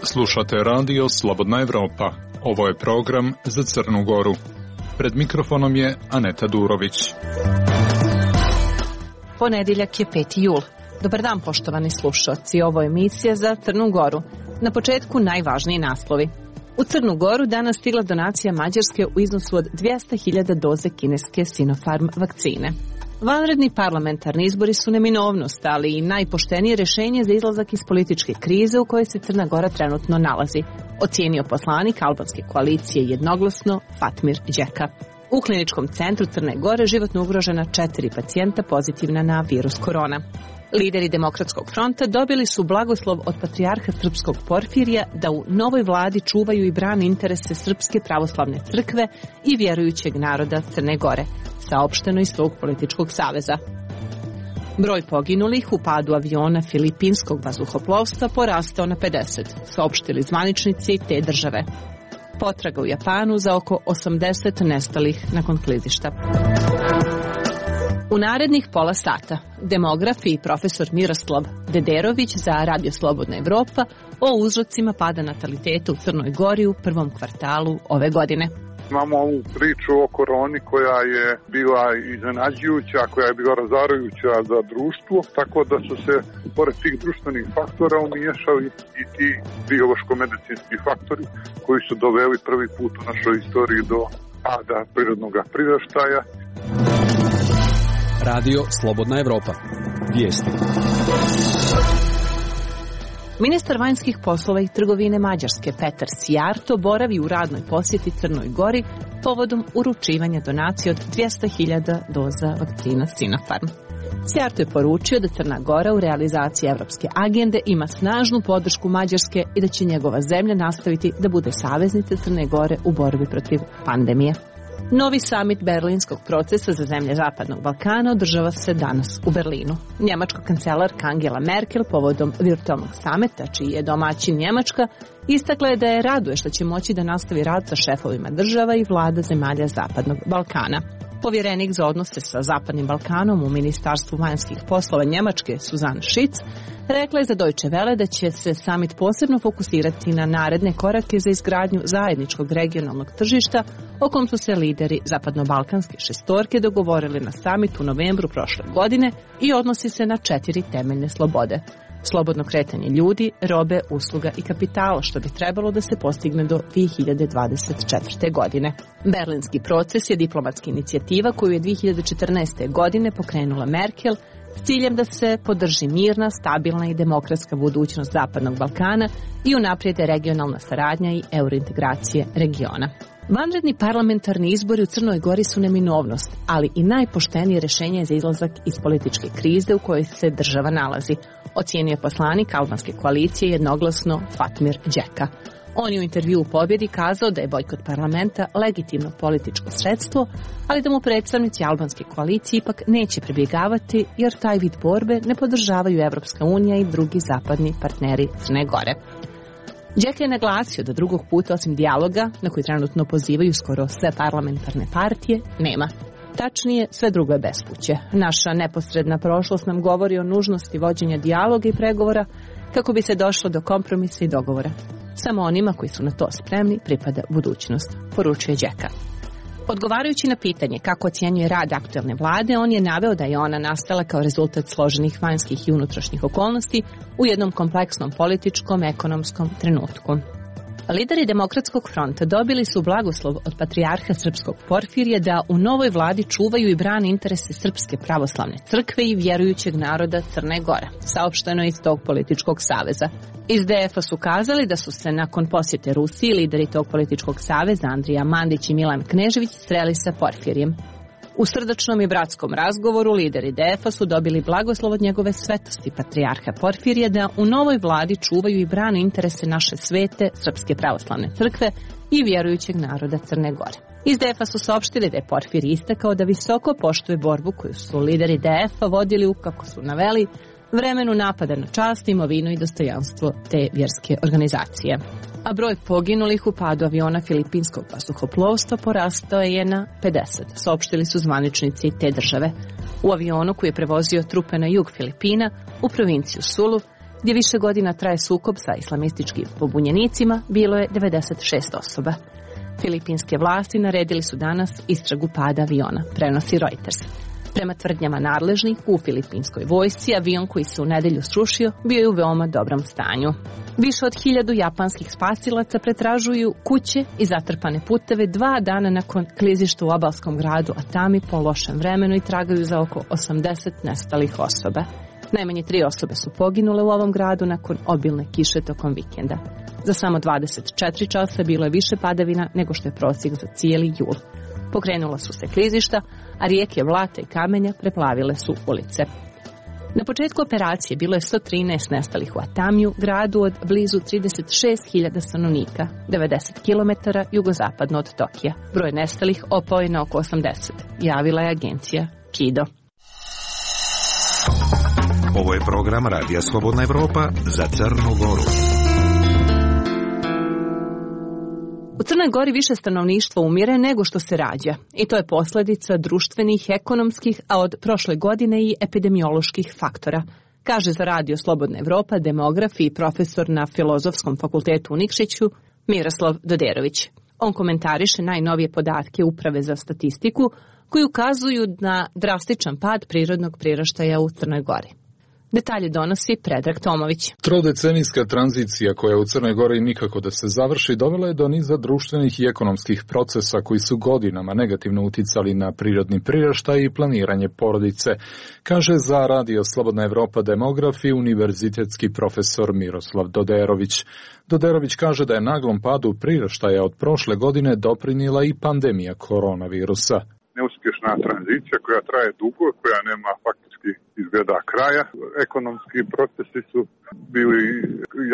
Slušate radio Slobodna Evropa. Ovo je program za Crnu Goru. Pred mikrofonom je Aneta Durović. Ponedjeljak je 5. jul. Dobar dan, poštovani slušalci. Ovo je emisija za Crnu Goru. Na početku najvažniji naslovi. U Crnu Goru danas stigla donacija Mađarske u iznosu od 200.000 doze kineske Sinopharm vakcine. Vanredni parlamentarni izbori su neminovnost, ali i najpoštenije rješenje za izlazak iz političke krize u kojoj se Crna Gora trenutno nalazi, ocijenio poslanik albanske koalicije jednoglasno Fatmir Đeka. U kliničkom centru Crne Gore životno ugrožena 4 pacijenta pozitivna na virus korona. Lideri Demokratskog fronta dobili su blagoslov od patrijarha srpskog Porfirija da u novoj vladi čuvaju i brane interese Srpske pravoslavne crkve i vjerujućeg naroda Crne Gore, saopšteno iz tog političkog saveza. Broj poginulih u padu aviona filipinskog vazduhoplovstva porastao na 50, saopštili zvaničnici te države. Potraga u Japanu za oko 80 nestalih nakon klizišta. U narednih pola sata demograf i profesor Miroslav Dederović za Radio Slobodna Evropa o uzrocima pada nataliteta u Crnoj Gori u prvom kvartalu ove godine. Imamo ovu priču o koroni koja je bila iznenađujuća, koja je bila razarajuća za društvo, tako da su se pored tih društvenih faktora umiješali i ti biološko-medicinski faktori koji su doveli prvi put u našoj istoriji do pada prirodnog priraštaja. Radio Slobodna Evropa. Vijesti. Ministar vanjskih poslova i trgovine Mađarske Petar Sijarto boravi u radnoj posjeti Crnoj Gori povodom uručivanja donacije od 200.000 doza vakcina Sinopharm. Sijarto je poručio da Crna Gora u realizaciji evropske agende ima snažnu podršku Mađarske i da će njegova zemlja nastaviti da bude saveznica Crne Gore u borbi protiv pandemije. Novi samit berlinskog procesa za zemlje Zapadnog Balkana održava se danas u Berlinu. Njemačka kancelarka Angela Merkel povodom virtualnog samita, čiji je domaćin Njemačka, istakla je da je raduje što će moći da nastavi rad sa šefovima država i vlada zemalja Zapadnog Balkana. Povjerenik za odnose sa Zapadnim Balkanom u Ministarstvu vanjskih poslova Njemačke Suzanne Schitz rekla je za Deutsche Welle da će se samit posebno fokusirati na naredne korake za izgradnju zajedničkog regionalnog tržišta o kom su se lideri zapadno-balkanske šestorke dogovorili na samitu u novembru prošle godine i odnosi se na 4 temeljne slobode. Slobodno kretanje ljudi, robe, usluga i kapitala, što bi trebalo da se postigne do 2024. godine. Berlinski proces je diplomatska inicijativa koju je 2014. godine pokrenula Merkel s ciljem da se podrži mirna, stabilna i demokratska budućnost Zapadnog Balkana i unaprijede regionalna saradnja i eurointegracije regiona. Vanredni parlamentarni izbori u Crnoj Gori su neminovnost, ali i najpoštenije rješenje za izlazak iz političke krize u kojoj se država nalazi, ocijenio je poslanik albanske koalicije jednoglasno Fatmir Đeka. On je u intervjuu u Pobjedi kazao da je bojkot parlamenta legitimno političko sredstvo, ali da mu predstavnici albanske koalicije ipak neće pribjegavati jer taj vid borbe ne podržavaju Evropska unija i drugi zapadni partneri Crne Gore. Đeka je naglasio da drugog puta osim dijaloga, na koji trenutno pozivaju skoro sve parlamentarne partije, nema. Tačnije, sve drugo je bespuće. Naša neposredna prošlost nam govori o nužnosti vođenja dijaloga i pregovora kako bi se došlo do kompromisa i dogovora. Samo onima koji su na to spremni pripada budućnost, poručuje Đeka. Odgovarajući na pitanje kako ocjenjuje rad aktuelne vlade, on je naveo da je ona nastala kao rezultat složenih vanjskih i unutrašnjih okolnosti u jednom kompleksnom političkom, ekonomskom trenutku. Lideri Demokratskog fronta dobili su blagoslov od patrijarha srpskog Porfirija da u novoj vladi čuvaju i brane interese Srpske pravoslavne crkve i vjerujućeg naroda Crne Gore, saopšteno iz tog političkog saveza. Iz DF-a su kazali da su se nakon posjete Rusiji lideri tog političkog saveza Andrija Mandić i Milan Knežević sreli sa Porfirijem. U srdačnom i bratskom razgovoru lideri DF-a su dobili blagoslov od njegove svetosti patrijarha Porfirija da u novoj vladi čuvaju i brane interese naše svete Srpske pravoslavne crkve i vjerujućeg naroda Crne Gore. Iz DF-a su saopštili da je Porfirij istakao da visoko poštuje borbu koju su lideri DF-a vodili u, kako su naveli, vremenu napada na čast, imovinu i dostojanstvo te vjerske organizacije. a broj poginulih u padu aviona filipinskog vazduhoplovstva porastao je na 50, saopštili su zvaničnici te države. U avionu koji je prevozio trupe na jug Filipina, u provinciju Sulu, gdje više godina traje sukob sa islamističkim pobunjenicima, bilo je 96 osoba. Filipinske vlasti naredili su danas istragu pada aviona, prenosi Reuters. Prema tvrdnjama nadležnih, u filipinskoj vojsci avion koji se u nedelju srušio bio je u veoma dobrom stanju. Više od 1000 japanskih spasilaca pretražuju kuće i zatrpane puteve 2 dana nakon klizišta u obalskom gradu Atami po lošem vremenu i tragaju za oko 80 nestalih osoba. Najmanje 3 osobe su poginule u ovom gradu nakon obilne kiše tokom vikenda. Za samo 24 časa bilo je više padavina nego što je prosjek za cijeli jul. Pokrenula su se klizišta, a rijeke Vlata i kamenja preplavile su ulice. Na početku operacije bilo je 113 nestalih u Atamiju, gradu od blizu 36.000 stanovnika, 90 km jugozapadno od Tokija. Broj nestalih opao je na oko 80, javila je agencija KIDO. Ovo je program Radija Slobodna Evropa za Crnu Goru. U Crnoj Gori više stanovništva umire nego što se rađa i to je posljedica društvenih, ekonomskih, a od prošle godine i epidemioloških faktora, kaže za Radio Slobodna Evropa demograf i profesor na Filozofskom fakultetu u Nikšiću Miroslav Doderović. On komentariše najnovije podatke Uprave za statistiku koji ukazuju na drastičan pad prirodnog priraštaja u Crnoj Gori. Detalje donosi Predrag Tomović. Trodecenijska tranzicija koja u Crnoj Gori nikako da se završi dovela je do niza društvenih i ekonomskih procesa koji su godinama negativno uticali na prirodni priraštaj i planiranje porodice, kaže za Radio Slobodna Evropa demograf i univerzitetski profesor Miroslav Doderović. Doderović kaže da je naglom padu priraštaja od prošle godine doprinijela i pandemija koronavirusa. Neuspješna tranzicija koja traje dugo, koja nema faktički izgleda kraja. Ekonomski procesi su bili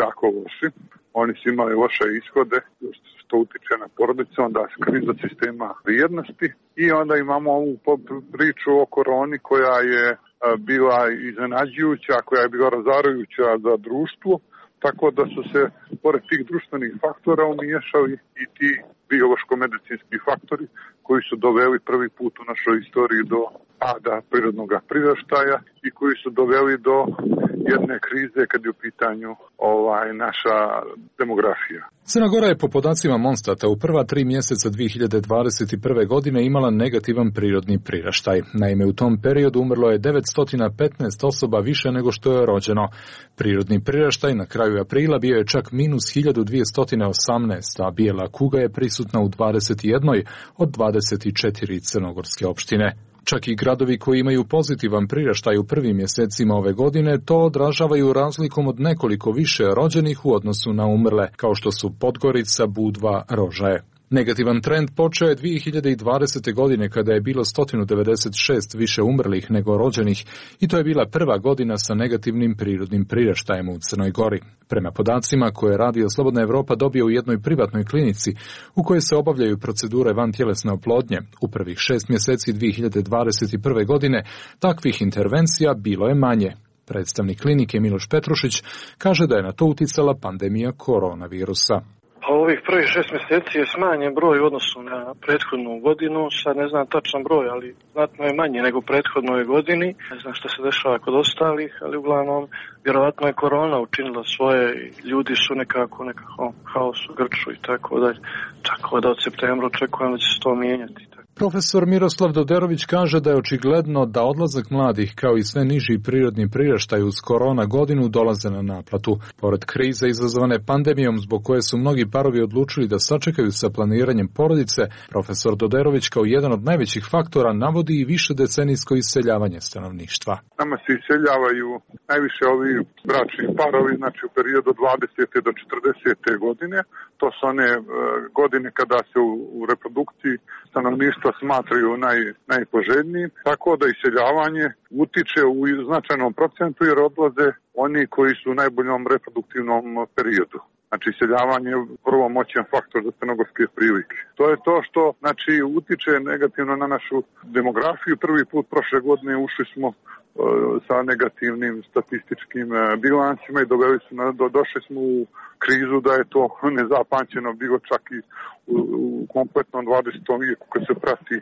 jako loši. Oni su imali loše ishode, što utiče na porodicu, onda kriza sistema vrijednosti. I onda imamo ovu priču o koroni koja je bila iznenađujuća, koja je bila razarajuća za društvo. Tako da su se, pored tih društvenih faktora, umiješali i ti biološko-medicinski faktori koji su doveli prvi put u našoj istoriji do pada prirodnog priraštaja i koji su doveli do jedne krize kad je u pitanju naša demografija. Crna Gora je po podacima Monstata u prva 3 mjeseca 2021. godine imala negativan prirodni priraštaj. Naime, u tom periodu umrlo je 915 osoba više nego što je rođeno. Prirodni priraštaj na kraju aprila bio je čak minus 1218, a bijela kuga je prisutna u 21 od 24 crnogorske opštine. Čak i gradovi koji imaju pozitivan priraštaj u prvim mjesecima ove godine to odražavaju razlikom od nekoliko više rođenih u odnosu na umrle, kao što su Podgorica, Budva, Rožaje. Negativan trend počeo je 2020. godine kada je bilo 196 više umrlih nego rođenih i to je bila prva godina sa negativnim prirodnim priraštajem u Crnoj Gori. Prema podacima koje je Radio Slobodna Evropa dobio u jednoj privatnoj klinici u kojoj se obavljaju procedure vantjelesne oplodnje, u prvih 6 mjeseci 2021. godine takvih intervencija bilo je manje. Predstavnik klinike Miloš Petrušić kaže da je na to uticala pandemija koronavirusa. Ovih prvih 6 mjeseci je smanjen broj u odnosu na prethodnu godinu, sad ne znam tačan broj, ali znatno je manje nego u prethodnoj godini. Ne znam što se dešava kod ostalih, ali uglavnom vjerovatno je korona učinila svoje, ljudi su nekako haos u grču i tako dalje. Tako da od septembra očekujem da će se to mijenjati. Profesor Miroslav Doderović kaže da je očigledno da odlazak mladih kao i sve niži prirodni priraštaj uz korona godinu dolaze na naplatu. Pored krize izazvane pandemijom zbog koje su mnogi parovi odlučili da sačekaju sa planiranjem porodice, profesor Doderović kao jedan od najvećih faktora navodi i više decenijsko iseljavanje stanovništva. Nama se iseljavaju najviše ovi bračni parovi, znači u periodu 20. do 40. godine. To su one godine kada se u reprodukciji stanovništva smatraju najpoželjnijim, tako da iseljavanje utiče u značajnom procentu jer odlaze oni koji su u najboljom reproduktivnom periodu. Znači, iseljavanje je vrlo moćan faktor za crnogorske prilike. To je to što, znači, utiče negativno na našu demografiju. Prvi put prošle godine ušli smo sa negativnim statističkim bilancima i došli smo u krizu da je to nezapamćeno bilo čak i u kompletnom 20. vijeku kad se prati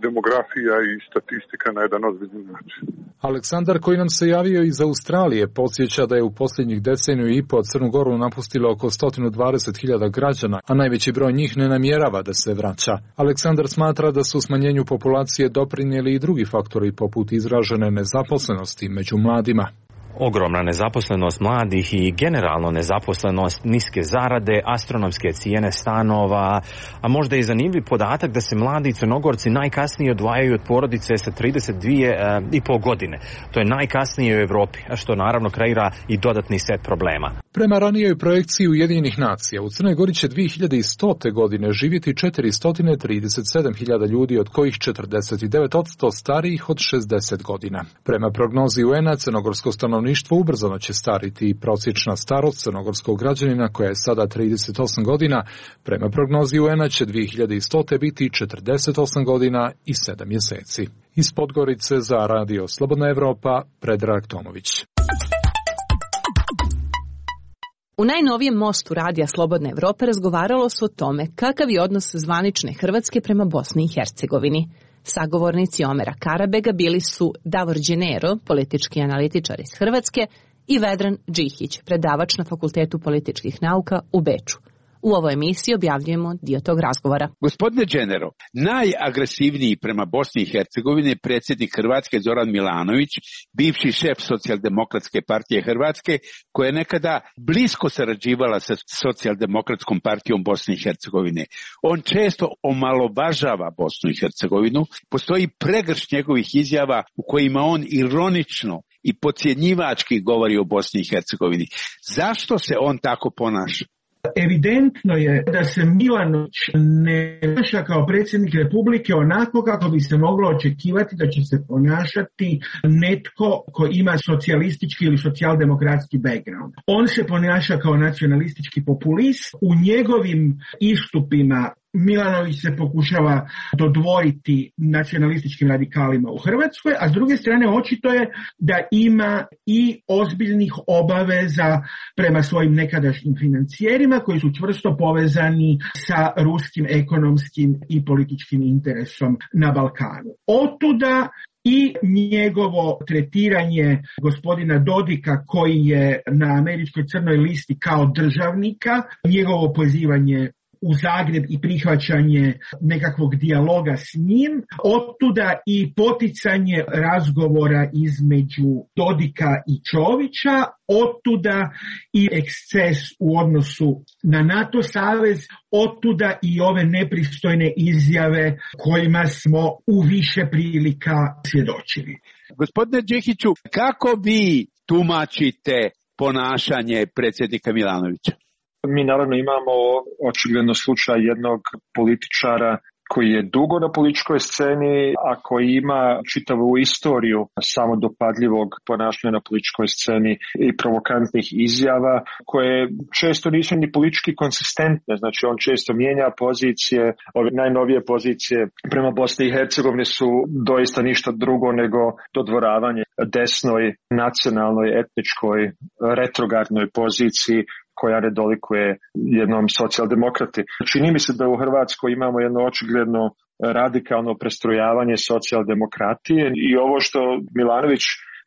demografija i statistika na jedan ozbiljan način. Aleksandar, koji nam se javio iz Australije, podsjeća da je u posljednjih deceniju i po Crnu Goru napustilo oko 120.000 građana, a najveći broj njih ne namjerava da se vraća. Aleksandar smatra da su smanjenju populacije doprinijeli i drugi faktori poput izražene nezaposlenosti među mladima. Ogromna nezaposlenost mladih i generalno nezaposlenost, niske zarade, astronomske cijene stanova, a možda i zanimljiv podatak da se mladi Crnogorci najkasnije odvajaju od porodice sa 32,5 godine. To je najkasnije u Europi, a što naravno kreira i dodatni set problema. Prema ranijoj projekciji Ujedinjenih nacija, u Crnoj Gori će 2100. godine živjeti 437.000 ljudi, od kojih 49% starijih od 60 godina. Prema prognozi UN-a, crnogorsko stanovništvo ubrzano će stariti i prosječna starost crnogorskog građanina, koja je sada 38 godina, prema prognozi UN-a će 2100. biti 48 godina i 7 mjeseci. Iz Podgorice za Radio Slobodna Evropa, Predrag Tomović. U najnovijem mostu Radija Slobodne Evrope razgovaralo se o tome kakav je odnos zvanične Hrvatske prema Bosni i Hercegovini. Sagovornici Omera Karabega bili su Davor Đenero, politički analitičar iz Hrvatske, i Vedran Džihić, predavač na Fakultetu političkih nauka u Beču. U ovoj emisiji objavljujemo dio tog razgovora. Gospodine Đenero, najagresivniji prema Bosni i Hercegovini je predsjednik Hrvatske Zoran Milanović, bivši šef Socijaldemokratske partije Hrvatske, koja je nekada blisko sarađivala sa Socijaldemokratskom partijom Bosne i Hercegovine. On često omalovažava Bosnu i Hercegovinu, postoji pregršt njegovih izjava u kojima on ironično i podcjenjivački govori o Bosni i Hercegovini. Zašto se on tako ponaša? Evidentno je da se Milanović ne ponaša kao predsjednik Republike onako kako bi se moglo očekivati da će se ponašati netko ko ima socijalistički ili socijaldemokratski background. On se ponaša kao nacionalistički populist. U njegovim istupima Milanović se pokušava dodvoriti nacionalističkim radikalima u Hrvatskoj, a s druge strane očito je da ima i ozbiljnih obaveza prema svojim nekadašnjim financijerima koji su čvrsto povezani sa ruskim ekonomskim i političkim interesom na Balkanu. Otuda i njegovo tretiranje gospodina Dodika, koji je na američkoj crnoj listi kao državnika, njegovo pozivanje u Zagreb i prihvaćanje nekakvog dijaloga s njim, otuda i poticanje razgovora između Dodika i Čovića, otuda i eksces u odnosu na NATO savez, otuda i ove nepristojne izjave kojima smo u više prilika svjedočili. Gospodine Džihiću, kako vi tumačite ponašanje predsjednika Milanovića? Mi naravno imamo očigledno slučaj jednog političara koji je dugo na političkoj sceni, a koji ima čitavu istoriju samodopadljivog ponašanja na političkoj sceni i provokantnih izjava koje često nisu ni politički konsistentne. Znači on često mijenja pozicije, ove najnovije pozicije prema Bosni i Hercegovini su doista ništa drugo nego dodvoravanje desnoj, nacionalnoj, etničkoj, retrogradnoj poziciji koja ne dolikuje jednom socijaldemokrati. Čini mi se da u Hrvatskoj imamo jedno očigledno radikalno prestrojavanje socijaldemokratije i ovo što Milanović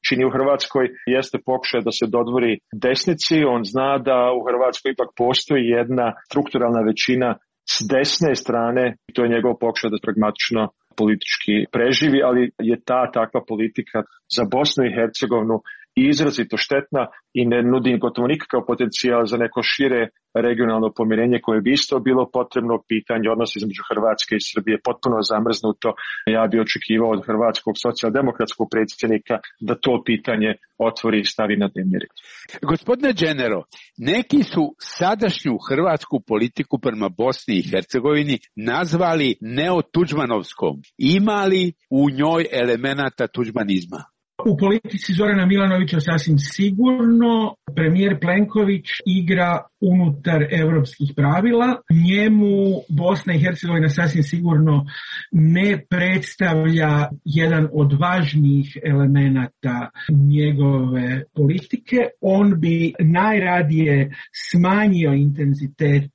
čini u Hrvatskoj jeste pokušaj da se dodvori desnici. On zna da u Hrvatskoj ipak postoji jedna strukturalna većina s desne strane i to je njegov pokušaj da pragmatično politički preživi, ali je takva politika za Bosnu i Hercegovinu izrazito štetna i ne nudi gotovo nikakav potencijal za neko šire regionalno pomirenje koje bi isto bilo potrebno. Pitanje odnosa između Hrvatske i Srbije potpuno zamrznuto. Ja bi očekivao od hrvatskog socijaldemokratskog predsjednika da to pitanje otvori i stavi na dnevni red. Gospodine Đenero, neki su sadašnju hrvatsku politiku prema Bosni i Hercegovini nazvali neotuđmanovskom. Ima li u njoj elemenata tuđmanizma? U politici Zorana Milanovića sasvim sigurno. Premijer Plenković igra unutar evropskih pravila. Njemu Bosna i Hercegovina sasvim sigurno ne predstavlja jedan od važnijih elemenata njegove politike. On bi najradije smanjio intenzitet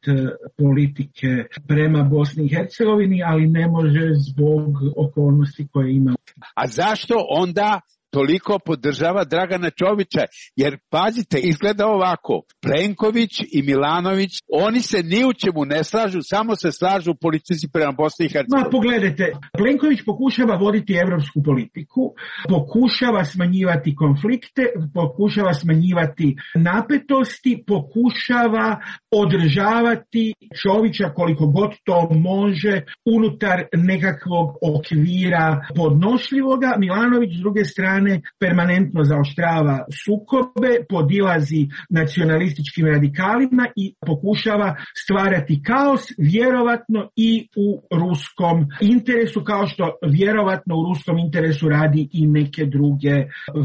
politike prema Bosni i Hercegovini, ali ne može zbog okolnosti koje ima. A zašto onda toliko podržava Dragana Čovića? Jer, pazite, izgleda ovako. Plenković i Milanović, oni se ni u čemu ne slažu, samo se slažu u politici prema Bosni i Hercegovini. Ma, pogledajte, Plenković pokušava voditi evropsku politiku, pokušava smanjivati konflikte, pokušava smanjivati napetosti, pokušava održavati Čovića koliko god to može unutar nekakvog okvira podnošljivoga. Milanović s druge strane permanentno zaoštrava sukobe, podilazi nacionalističkim radikalima i pokušava stvarati kaos, vjerovatno i u ruskom interesu, kao što vjerovatno u ruskom interesu radi i neke druge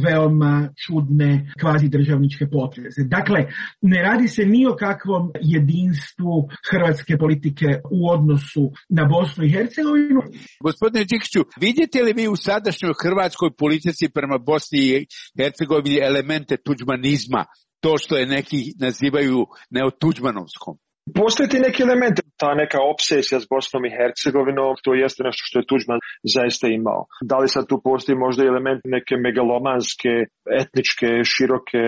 veoma čudne kvazidržavničke poteze. Dakle, ne radi se ni o kakvom jedinstvu hrvatske politike u odnosu na Bosnu i Hercegovinu. Gospodine Đikiću, vidite li vi u sadašnjoj hrvatskoj politici prema Bosni i Hercegovini elemente tuđmanizma, to što je neki nazivaju neotuđmanovskom? Postoje ti neki elementi, ta neka obsesija s Bosnom i Hercegovinom, to jeste nešto što je Tuđman zaista imao. Da li sad tu postoji možda element neke megalomanske, etničke, široke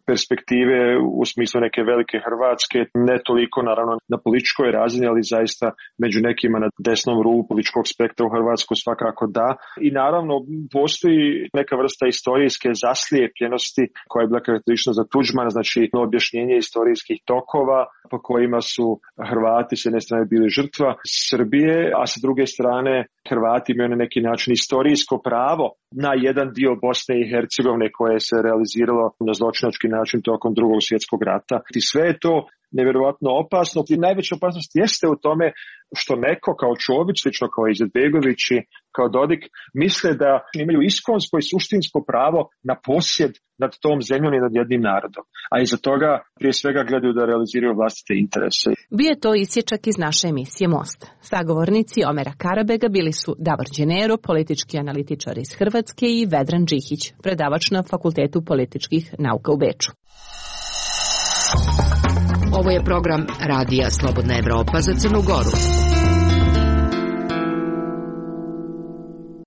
perspektive u smislu neke velike Hrvatske, ne toliko naravno na političkoj razini, ali zaista među nekima na desnom rubu političkog spektra u Hrvatsku svakako da. I naravno postoji neka vrsta istorijske zaslijepljenosti koja je bila karakteristična za Tuđmana, znači objašnjenje istorijskih tokova po kojima su Hrvati s jedne strane bili žrtva Srbije, a sa druge strane Hrvati imaju na neki način istorijsko pravo na jedan dio Bosne i Hercegovine koje se realiziralo na zločinački način tokom Drugog svjetskog rata. I sve je to nevjerovatno opasno. I najveća opasnost jeste u tome što neko kao Čović, slično kao Izetbegović i kao Dodik, misle da imaju iskonsko i suštinsko pravo na posjed nad tom zemljom i nad jednim narodom. A iza toga prije svega gledaju da realiziraju vlastite interese. Bio je to isječak iz naše emisije Most. Sagovornici Omera Karabega bili su Davor Đenero, politički analitičar iz Hrvatske, i Vedran Džihić, predavač na Fakultetu političkih nauka u Beču. Ovo je program Radija Slobodna Evropa za Crnu Goru.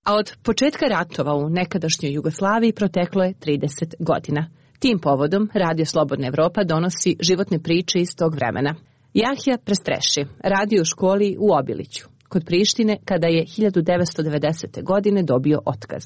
A od početka ratova u nekadašnjoj Jugoslaviji proteklo je 30 godina. Tim povodom Radio Slobodna Evropa donosi životne priče iz tog vremena. Jahja Prestreši radio u školi u Obiliću, kod Prištine, kada je 1990. godine dobio otkaz.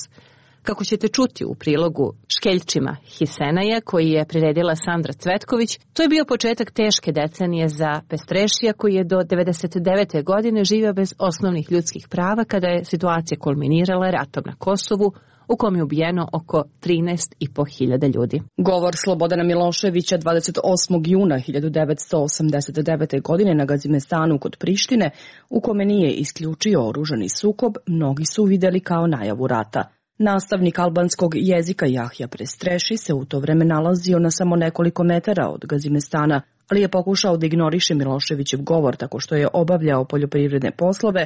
Kako ćete čuti u prilogu Škeljčima Hisenaja, koji je priredila Sandra Cvetković, to je bio početak teške decenije za Pestrešija, koji je do 1999. godine živio bez osnovnih ljudskih prava, kada je situacija kulminirala ratom na Kosovu, u kom je ubijeno oko 13.500 ljudi. Govor Slobodana Miloševića 28. juna 1989. godine na Gazimestanu kod Prištine, u kome nije isključio oružani sukob, mnogi su vidjeli kao najavu rata. Nastavnik albanskog jezika Jahja Prestreši se u to vreme nalazio na samo nekoliko metara od Gazimestana, ali je pokušao da ignoriše Miloševićev govor tako što je obavljao poljoprivredne poslove,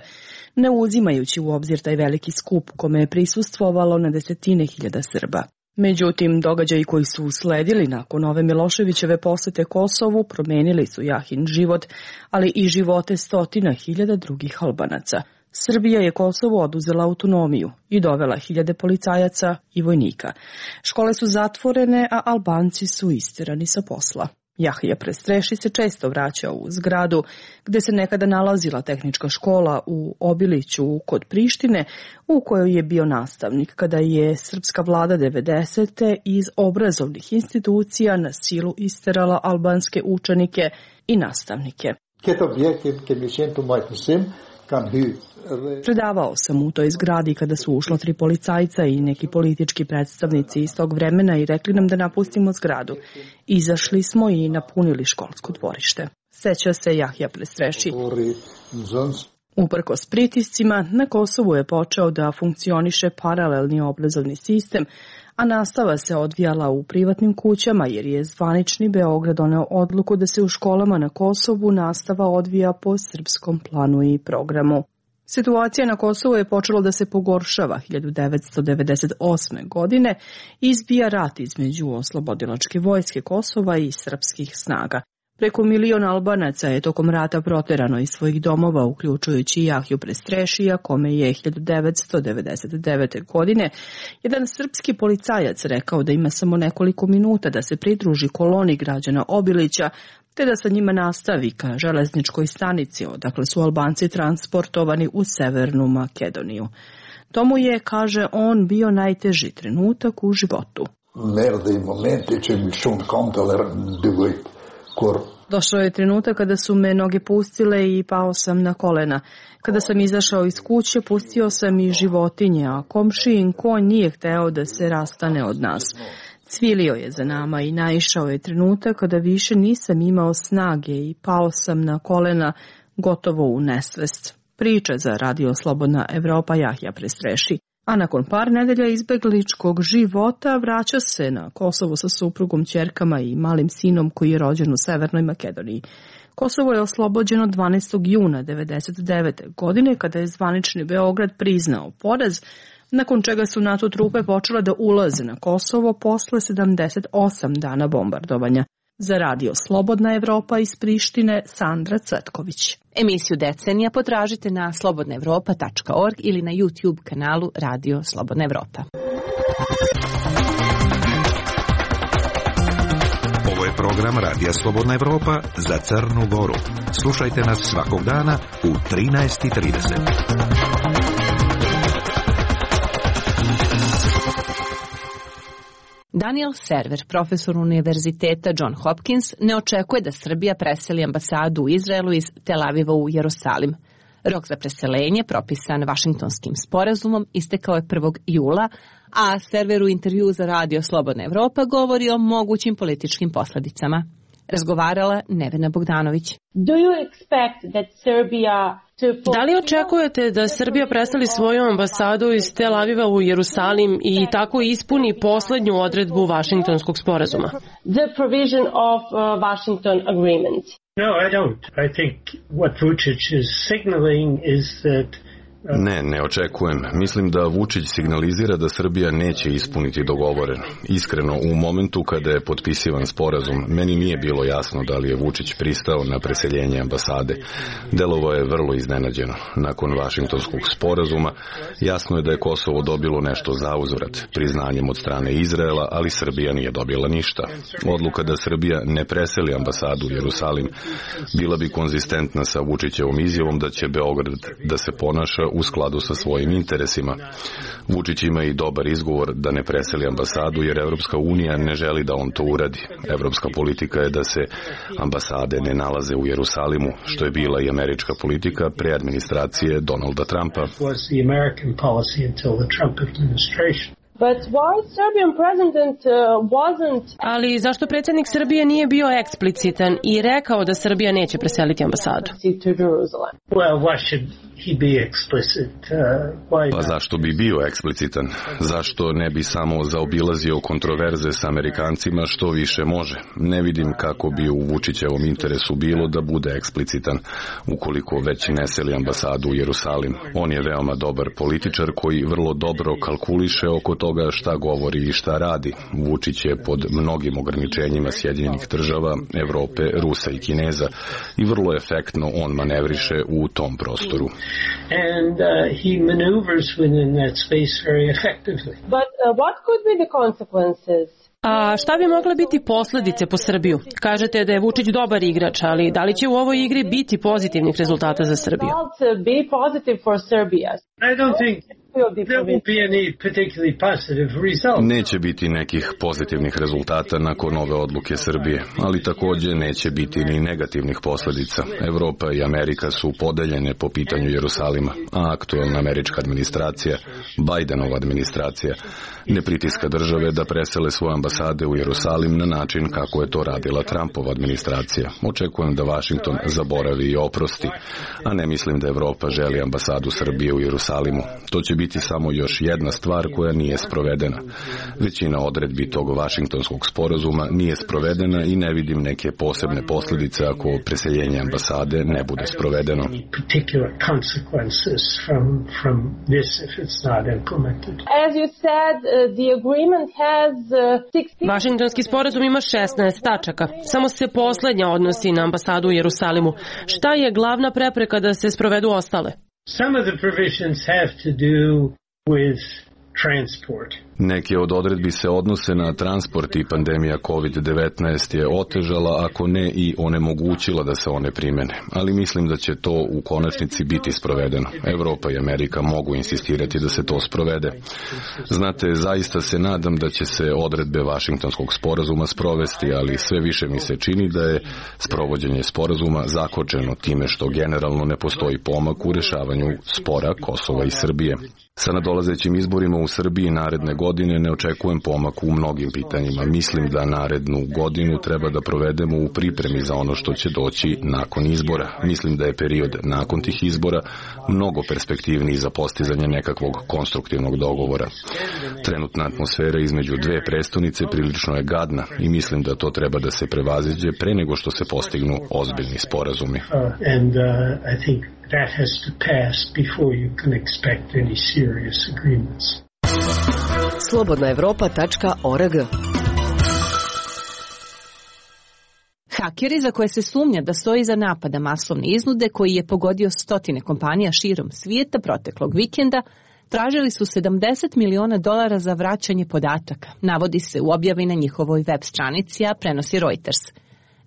ne uzimajući u obzir taj veliki skup kome je prisustvovalo na desetine hiljada Srba. Međutim, događaji koji su usledili nakon ove Miloševićeve posete Kosovu promenili su Jahin život, ali i živote stotina hiljada drugih Albanaca. Srbija je Kosovu oduzela autonomiju i dovela hiljade policajaca i vojnika. Škole su zatvorene, a Albanci su isterani sa posla. Jahja Prestreši se često vraćao u zgradu gde se nekada nalazila tehnička škola u Obiliću kod Prištine, u kojoj je bio nastavnik kada je srpska vlada 90. iz obrazovnih institucija na silu isterala albanske učenike i nastavnike. Predavao sam u toj zgradi kada su ušla 3 policajca i neki politički predstavnici iz tog vremena i rekli nam da napustimo zgradu. Izašli smo i napunili školsko dvorište. Seća se Jahja Prestreši. Uprkos pritiscima, na Kosovu je počeo da funkcioniše paralelni obrazovni sistem, a nastava se odvijala u privatnim kućama jer je zvanični Beograd doneo odluku da se u školama na Kosovu nastava odvija po srpskom planu i programu. Situacija na Kosovu je počela da se pogoršava 1998. godine i izbija rat između oslobodilačke vojske Kosova i srpskih snaga. Preko 1 milion Albanaca je tokom rata proterano iz svojih domova, uključujući Jahju Prestrešija, kome je 1999. godine jedan srpski policajac rekao da ima samo nekoliko minuta da se pridruži koloni građana Obilića, te da sa njima nastavi ka železničkoj stanici, odakle su Albanci transportovani u Severnu Makedoniju. To mu je, kaže on, bio najteži trenutak u životu. Došao je trenutak kada su me noge pustile i pao sam na kolena. Kada sam izašao iz kuće, pustio sam i životinje, a komšijin konj nije hteo da se rastane od nas. Cvilio je za nama i naišao je trenutak kada više nisam imao snage i pao sam na kolena, gotovo u nesvest. Priča za Radio Slobodna Evropa Jahja Prestreši. A nakon par nedelja izbegličkog života vraća se na Kosovo sa suprugom, ćerkama i malim sinom koji je rođen u Severnoj Makedoniji. Kosovo je oslobođeno 12. juna 1999. godine kada je zvanični Beograd priznao poraz, nakon čega su NATO trupe počele da ulaze na Kosovo posle 78 dana bombardovanja. Za Radio Slobodna Evropa iz Prištine, Sandra Cvetković. Emisiju Decenija potražite na slobodnaevropa.org ili na YouTube kanalu Radio Slobodna Evropa. Ovo je program Radija Slobodna Evropa za Crnu Goru. Slušajte nas svakog dana u 13:30. Daniel Server, profesor Univerziteta John Hopkins, ne očekuje da Srbija preseli ambasadu u Izraelu iz Tel Aviva u Jerusalim. Rok za preselenje, propisan Vašingtonskim sporazumom, istekao je 1. jula, a Server u intervju za Radio Slobodna Evropa govori o mogućim političkim posledicama. Razgovarala Nevena Bogdanović. Da li očekujete da Srbija preseli svoju ambasadu iz Tel Aviva u Jerusalim i tako ispuni poslednju odredbu Vašingtonskog sporazuma? No, I don't. I think what Vučić is signaling is that Ne očekujem. Mislim da Vučić signalizira da Srbija neće ispuniti dogovoreno. Iskreno, u momentu kada je potpisivan sporazum, meni nije bilo jasno da li je Vučić pristao na preseljenje ambasade. Delovo je vrlo iznenađeno. Nakon Vašingtonskog sporazuma, jasno je da je Kosovo dobilo nešto zauzvrat, priznanjem od strane Izraela, ali Srbija nije dobila ništa. Odluka da Srbija ne preseli ambasadu u Jerusalim bila bi konzistentna sa Vučićevom izjavom da će Beograd da se ponaša u skladu sa svojim interesima. Vučić ima i dobar izgovor da ne preseli ambasadu jer Evropska unija ne želi da on to uradi. Evropska politika je da se ambasade ne nalaze u Jerusalimu, što je bila i američka politika pre administracije Donalda Trumpa. Ali zašto predsjednik Srbije nije bio eksplicitan i rekao da Srbija neće preseliti ambasadu? Pa zašto bi bio eksplicitan? Zašto ne bi samo zaobilazio kontroverze sa Amerikancima što više može? Ne vidim kako bi u Vučićevom interesu bilo da bude eksplicitan ukoliko već ne seli ambasadu u Jerusalim. On je veoma dobar političar koji vrlo dobro kalkuliše oko toga šta govori i šta radi. Vučić je pod mnogim ograničenjima Sjedinjenih država, Evrope, Rusa i Kineza i vrlo efektno on manevriše u tom prostoru. And he maneuvers within that space very effectively. But what could be the consequences? A šta bi mogle biti posljedice po Srbiju? Kažete da je Vučić dobar igrač, ali da li će u ovoj igri biti pozitivnih rezultata za Srbiju? Be positive for Serbia. I don't think there will be any particularly positive result. Neće biti nekih pozitivnih rezultata nakon ove odluke Srbije, ali također neće biti ni negativnih posljedica. Evropa i Amerika su podeljene po pitanju Jerusalima, a aktuelna američka administracija, Bidenova administracija, ne pritiska države da presele svoje ambasade ambasade u Jerusalim na način kako je to radila Trumpova administracija. Očekujem da Washington zaboravi i oprosti, a ne mislim da Evropa želi ambasadu Srbije u Jerusalimu. To će biti samo još jedna stvar koja nije sprovedena. Većina odredbi tog Vašingtonskog sporazuma nije sprovedena i ne vidim neke posebne posljedice ako preseljenje ambasade ne bude sprovedeno. Vašingtonski sporazum ima 16 tačaka. Samo se poslednja odnosi na ambasadu u Jerusalimu. Šta je glavna prepreka da se sprovedu ostale? Some of the provisions have to do with transport. Neke od odredbi se odnose na transport i pandemija COVID-19 je otežala, ako ne i onemogućila da se one primene. Ali mislim da će to u konačnici biti sprovedeno. Evropa i Amerika mogu insistirati da se to sprovede. Znate, zaista se nadam da će se odredbe Vašingtonskog sporazuma sprovesti, ali sve više mi se čini da je sprovođenje sporazuma zakočeno time što generalno ne postoji pomak u rešavanju spora Kosova i Srbije. Sa nadolazećim izborima u Srbiji naredne godine ne očekujem pomak u mnogim pitanjima. Mislim da narednu godinu treba da provedemo u pripremi za ono što će doći nakon izbora. Mislim da je period nakon tih izbora mnogo perspektivniji za postizanje nekakvog konstruktivnog dogovora. Trenutna atmosfera između dve prestonice prilično je gadna i mislim da to treba da se prevaziđe pre nego što se postignu ozbiljni sporazumi. That has to pass before you can expect any serious agreements. Slobodnaevropa.org. Hakeri za koje se sumnja da stoji iza napada masovne iznude koji je pogodio stotine kompanija širom svijeta proteklog vikenda, tražili su $70 miliona za vraćanje podataka, navodi se u objavi na njihovoj web stranici, a prenosi Reuters.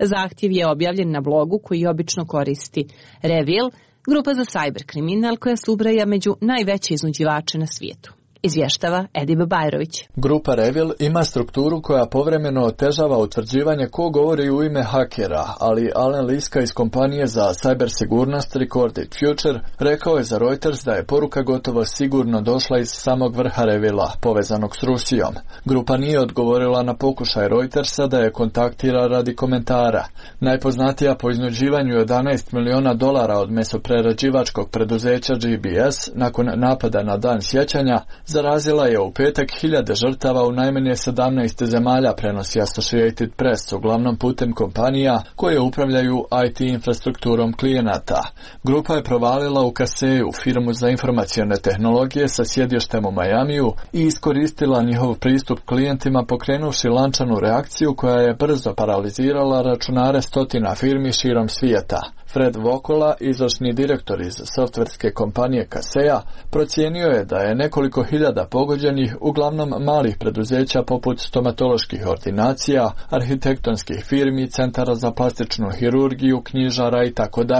Zahtjev je objavljen na blogu koji obično koristi Revil, grupa za cyber kriminal koja se ubraja među najveće iznuđivače na svijetu. Izvještava Edib Bajrović. Grupa Revil ima strukturu koja povremeno otežava utvrđivanje ko govori u ime hakera, ali Alan Liska iz kompanije za cyber sigurnost Recorded Future rekao je za Reuters da je poruka gotovo sigurno došla iz samog vrha Revila, povezanog s Rusijom. Grupa nije odgovorila na pokušaj Reutersa da je kontaktira radi komentara. Najpoznatija po iznuđivanju $11 miliona od mesoprerađivačkog preduzeća GBS nakon napada na Dan sjećanja zarazila je u petak hiljade žrtava u najmanje 17 zemalja, prenosi Associated Press, uglavnom putem kompanija koje upravljaju IT infrastrukturom klijenata. Grupa je provalila u Kaseju, firmu za informacione tehnologije sa sjedištem u Majamiju, i iskoristila njihov pristup klijentima pokrenuvši lančanu reakciju koja je brzo paralizirala računare stotina firmi širom svijeta. Fred Vokola, izvršni direktor iz softverske kompanije Kaseja, procijenio je da je nekoliko hiljada pogođenih, uglavnom malih preduzeća poput stomatoloških ordinacija, arhitektonskih firmi, centara za plastičnu hirurgiju, knjižara itd.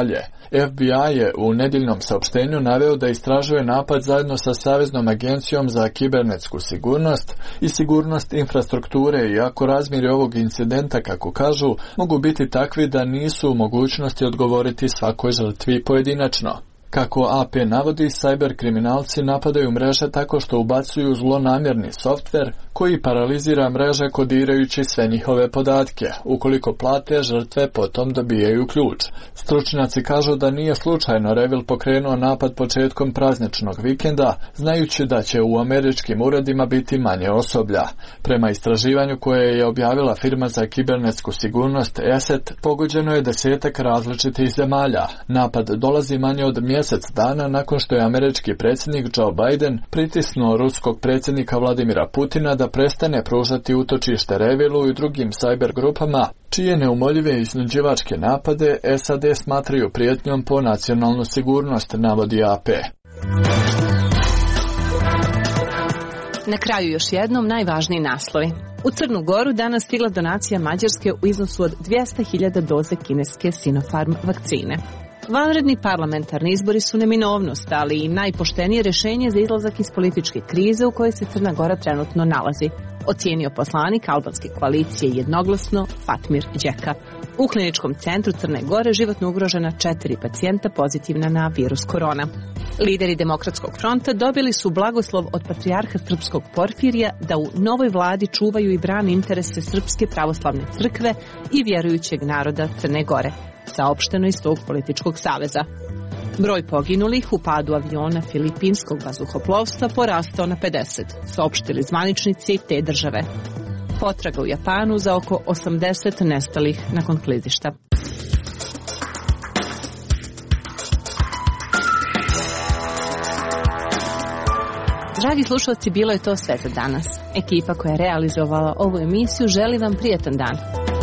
FBI je u nedjeljnom saopštenju naveo da istražuje napad zajedno sa Saveznom agencijom za kibernetsku sigurnost i sigurnost infrastrukture, iako razmjeri ovog incidenta, kako kažu, mogu biti takvi da nisu u mogućnosti odgovoriti svakoj žrtvi pojedinačno. Kako AP navodi, cyber kriminalci napadaju mreže tako što ubacuju zlonamjerni softver koji paralizira mreže kodirajući sve njihove podatke. Ukoliko plate, žrtve potom dobijaju ključ. Stručnjaci kažu da nije slučajno Revil pokrenuo napad početkom prazničnog vikenda, znajući da će u američkim uredima biti manje osoblja. Prema istraživanju koje je objavila firma za kibernetsku sigurnost ESET, pogođeno je 10 različitih zemalja. Napad dolazi manje od mjesec dana nakon što je američki predsjednik Joe Biden pritisnuo ruskog predsjednika Vladimira Putina da prestane pružati utočište Revilu i drugim cyber grupama, čije neumoljive iznuđivačke napade SAD smatraju prijetnjom po nacionalnu sigurnost, navodi AP. Na kraju još jednom najvažniji naslovi. U Crnu Goru danas stigla donacija Mađarske u iznosu od 200.000 doze kineske Sinopharm vakcine. Vanredni parlamentarni izbori su neminovnost, ali i najpoštenije rješenje za izlazak iz političke krize u kojoj se Crna Gora trenutno nalazi. ocijenio poslanik albanske koalicije jednoglasno Fatmir Đeka. U kliničkom centru Crne Gore životno ugrožena 4 pacijenta pozitivna na virus korona. Lideri Demokratskog fronta dobili su blagoslov od patrijarha srpskog Porfirija da u novoj vladi čuvaju i brane interese Srpske pravoslavne crkve i vjerujućeg naroda Crne Gore, saopšteno iz tog političkog saveza. Broj poginulih u padu aviona filipinskog vazduhoplovstva porastao na 50, saopštili zvaničnici te države. Potraga u Japanu za oko 80 nestalih nakon klizišta. Dragi slušalci, bilo je to sve za danas. Ekipa koja je realizovala ovu emisiju želi vam prijatan dan.